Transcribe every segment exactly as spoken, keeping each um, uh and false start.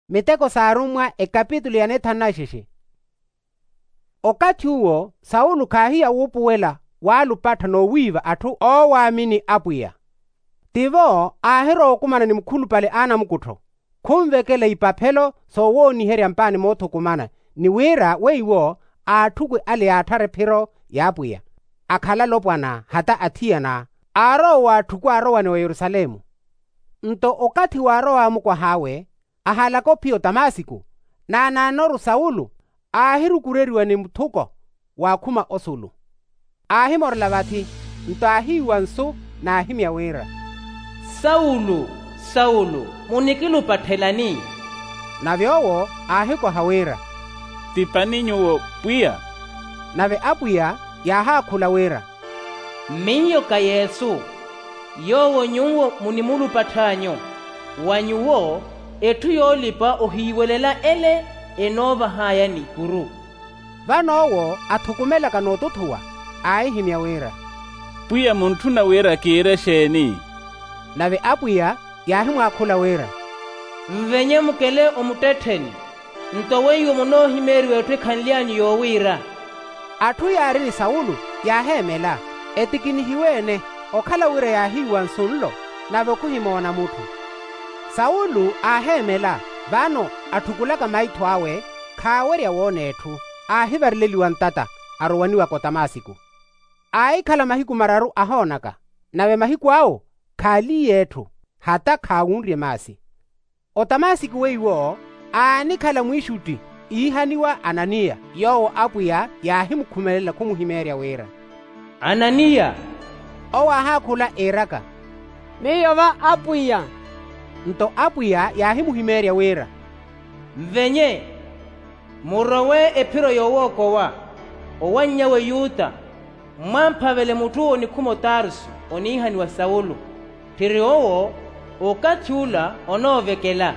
Miteko s'arummwa ekapitulu ya nithanu na ixixi. Okathi uwo saulo khaahiya wuupuwela waalupattha noowiiva atthu oowaamini apwiya. Tivo aahirowa okumana ni mukhulupale a anamukuttho, khunvekela ipaphelo soowooniherya mpaani moothukumana, ni wira weiwo aatthukw'e ale yaatthara ephiro y'apwiya, akhala alopwana hata athiyana, aarowa waatthukw'e aarowane wa yerusalemu. Nto okathi waarow'awe mukwah'awe, ahaalaka ophiya otamasiku, naanaanoru saulo aahirukureriwa ni muthuko waakhuma osulu. Aahimorela vathi, nto aahiiwa nsu n'ahimya wira, saulo, saulo, munikilupatthelani? Nave owo aahikoha wira, tipani nyuwo pwiya. Nave apwiya yaahaakhula wira, miyo ka yesu, yoowo nyuwo munimulupatth'anyu. Wa nyuwo, etthu yoolipa ohiiwelela ele enoovah'aya nikuru. Vano owo athukumelaka nootuthuwa, aahihimya wira, pwiya muntthuna wira kiire exeeni? Nave apwiya yaahimwaakhula wira, nvenye mukele omuttettheni, nto weiwo munoohimeeriwa etthu ekhanly'anyu yoowiira. Atthu yaari ni saulo yaaheemela, etikinihiwe-ene, okhala wira yaahiiwa nsu nlo, nave okhuhimoona mutthu. Saulo aaheemela, vano atthukulaka maitho awe, khaawerya woona etthu, aahivareleliwa ntata, arowaniwaka otamasiku. Aahikhala mahiku mararu ahoonaka, nave mahiku awo khaaliye etthu, hata khaawunrye maasi. Otamasiku weiwo aanikhala mwiixutti iihaniwa ananiya, yoowo apwiya yaahimukhumelela khumuhimeerya wira, ananiya. Owo aahaakhula iiraka, miyo va apwiya. Nto apwiya yaahimuhimeerya wira, nvenye, murowe ephiro yoowookowa, owanny'awe yuta, mmwamphavele mutthu onikhuma otarsu oniihaniwa saulo. Tthiri owo okathi ula onoovekela.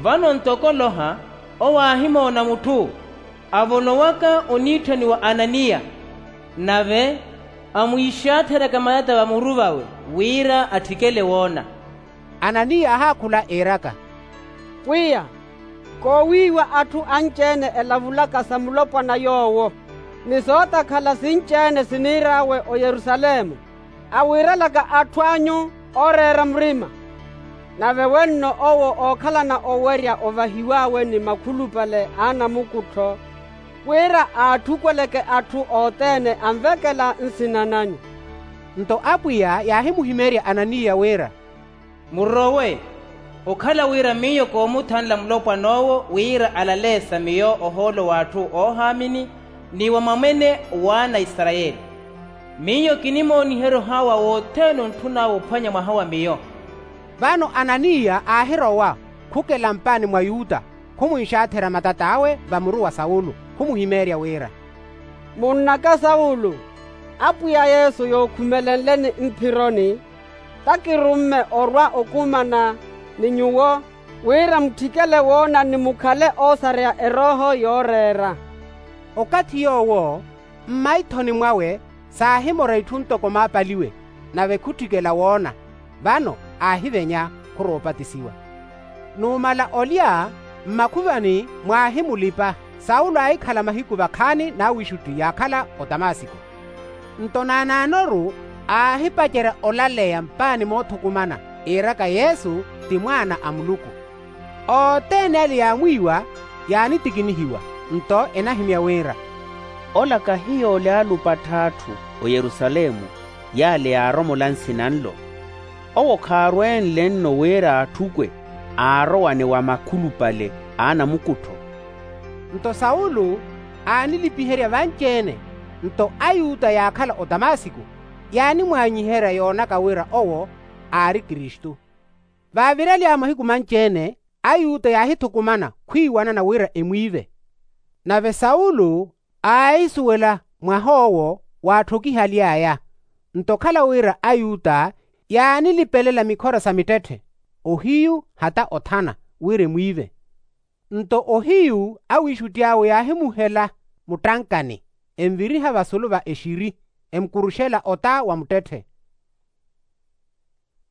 Vano ntoko oloha, owo aahimoona mutthu, avonowaka oniitthaniwa ananiya, nave amwiixaatheraka matata vamuru vawe, wira atthikele woona. Ananiya aahaakhula iiraka, pwiya, koowiiwa atthu anci-ene elavulaka sa mulopwana yoowo, ni sootakhala sinci-ene siniir'awe oyerusalemu, awiirelaka atthu anyu ooreera murima. Nave wenno owo ookhalana owerya ovahiw'awe ni makhulupale a anamukuttho, wira aatthukweleke atthu othene anvekela nsina nanyu. Nto apwiya yaahimuhimeerya ananiya wira, murowe, okhala wira miyo koomuthanla mulopwan'owo wira alaleesa miyo ohoolo w'atthu oohaamini, ni wa mwamwene w'ana a isarayeli. Miyo kinimooniherya ohaawa wothene ontthun'awe ophwanya mwaha wa miyo. Vano ananiya aahirowa, khukela mpaani mwa yuta, khumwinxaatherya matat'awe vamuru wa saulo, khumuhimeerya wira, munn'aka saulo, apwiya yesu yookhumelenleni mphironi, takirumme orwa okumana ni nyuwo, wira mutthikele woona ni mukhale oosareya erooho yooreera. Okathi yoowo mmaithoni mwawe saahimora itthu ntoko maapaliwe, nave khutthikela woona, vano aahivenya khurowa opatisiwa. Numala olya, mmakhuvani mwaahimulipa, saulo aahikhala mahiku vakhaani n'awiixutti yaakhala otamasiko. Nto naanaanoru aahipacerya olaleya mpaani moothukumana, iiraka yesu ti mwaana a muluku. Othene ale yaamwiiwa, yaanitikinihiwa, nto enahimya wira, ola kahiyo ole aalupattha atthu oyerusalemu, y'ale yaaromola nsina nlo? Owo khaarwenle nno wira aatthukwe aarowane wa makhulupale a anamukuttho. Nto saulo aanilipiherya vanci-ene. Nto ayuta yaakhala otamasiko yaanimwaanyiherya yoonaka wira owo aari kristu. Vaavirelya mahiku manci-ene, ayuta yaahithukumana khwiiwanana wira emwiive. Nave saulo aahisuwela mwah'owo waatthokihaly'aya. Nto okhala wira ayuta yaanilipelela mikhora sa mittetthe, ohiyu hata othana, wira emwiive. Nto ohiyu awiixutti awe yaahimuhela muttankani, enviriha vasulu va exiri, emukuruxela ota wa muttetthe.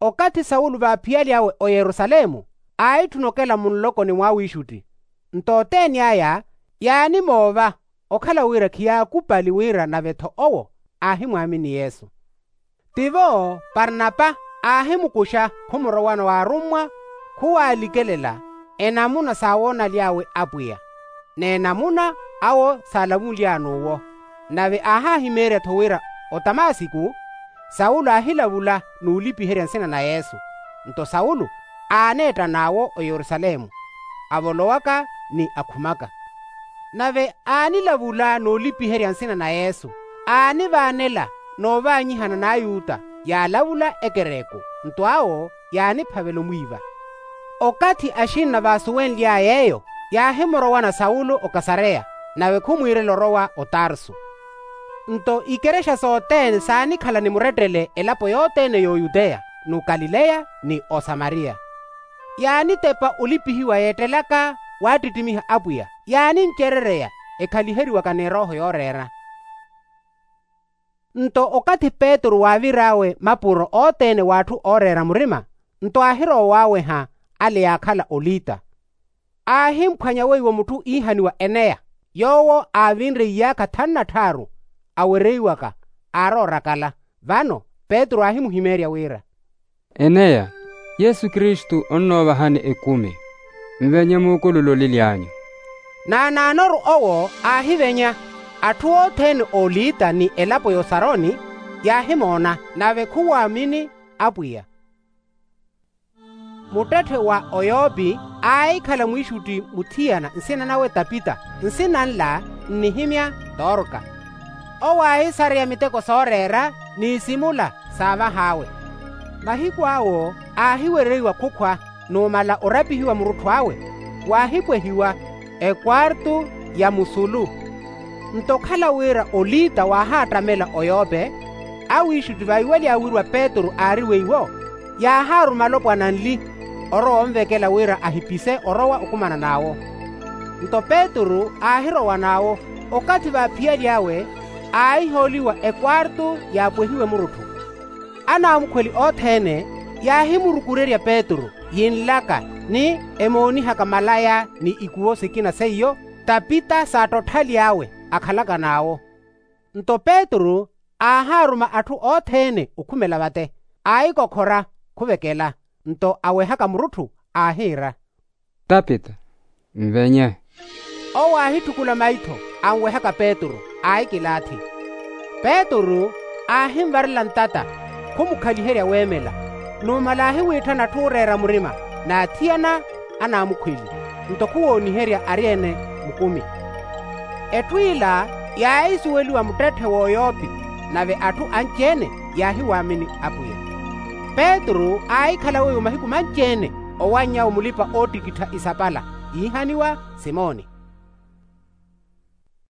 Okathi saulo vaaphiyalyawe oyerusalemu, aahitthuna okela munlokoni mw'awiixutti. Nto othene aya yaanimoova okhala wira khiyaakupali wira nave-tho owo aahimwaamini yesu. Tivo parnapa aahimukuxa khumurowana w'arummwa khuwaalikelela enamuna saawoonaly'awe apwiya, n'enamuna awo saalavunly'an'uwo. Nave aahahimeerya-tho wira otamasiku saulo aahilavula n'ulipiherya nsina na yesu. Nto saulo aaneetta n'awo oyerusalemu avolowaka ni akhumaka. Nave aanilavula n'ulipiherya nsina na yesu aanivaanela n'uvaanyihana n'ayuta yaalavula ekereku. Nto awo yaaniphavela omwiiva. Okathi axinna vaasuwenly'aya eyo yaahimurowana saulo okasareya, nave khumwiirela orowa otarsu. Nto ikerexa sothene saanikhala ni murettele elapo yothene y'oyuteya n'ukalileya ni osamariya. Yaanitepa olipihiwa yeettelaka waattittimiha apwiya yaanincerereya ekhaliheriwaka n'erooho yooreera. Nto okathi petru waavir'awe mapuro othene w'atthu ooreera murima, nto aahirowa waaweha ale yaakhala olita. Aahimphwanya weiwo mutthu iihaniwa eneya, yoowo aavinre iyaakha thanu na tthaaru awereiwaka. Aaroorakala. Vano petru aahimuhimeerya wira, eneya, yesu kristu onnoovahani ekumi. Nvenye muukulule olily'anyu. Naanaanoru owo aahivenya. Atthu othene oolita ni elapo y'osaroni yaahimoona nave khuwaamini apwiya. Muttetthe wa oyopi aahikhala mwiixutti muthiyana nsina nawe tapita, nsina nla nnihimya torka. Owo aahisareya miteko sooreera n'isimula saavah'awe. Mahiku awo aahiwereiwa khukhwa numala orapihiwa murutthu awe waahipwehiwa ekwartu ya musulu. Nto okhala wira olita waahaattamela oyope, awiixutti vaiwelya wirwa petru aari weiwo yaahaaruma alopwana anli orowa onvekela wira ahipise orowa okumana n'awo. Nto petru aahirowa n'awo. Okathi vaaphiyalyawe aahihooliwa ekwartu yaapwehiwe murutthu. Anaamukhweli othene yaahimurukurerya petru yinlaka ni emoonihaka malaya ni ikuwo sikina seiyo tapita saattothaly'awe akhalaka n'awo. Nto petru aahaaruma atthu othene okhumela vate aahikokhora khuvekela. Nto awehaka murutthu aahiira, tapita, nvenye. Owo aahitthukula maitho anwehaka petru aahikilaathi. Petru aahinvarela ntata khumukhaliherya weemela. Numala aahiwiitthana atthu ooreera murima n'athiyana anaamukhweli. Nto khuwooniherya ari-ene mukumi. Etthu ila yaahisuweliwa muttetthe w'oyopi nave atthu anci-ene yaahiwaamini apwiya. Petru aahikhala weiwo mahiku manci-ene owanny'awe mulipa-oottikittha isapala iihaniwa simoni.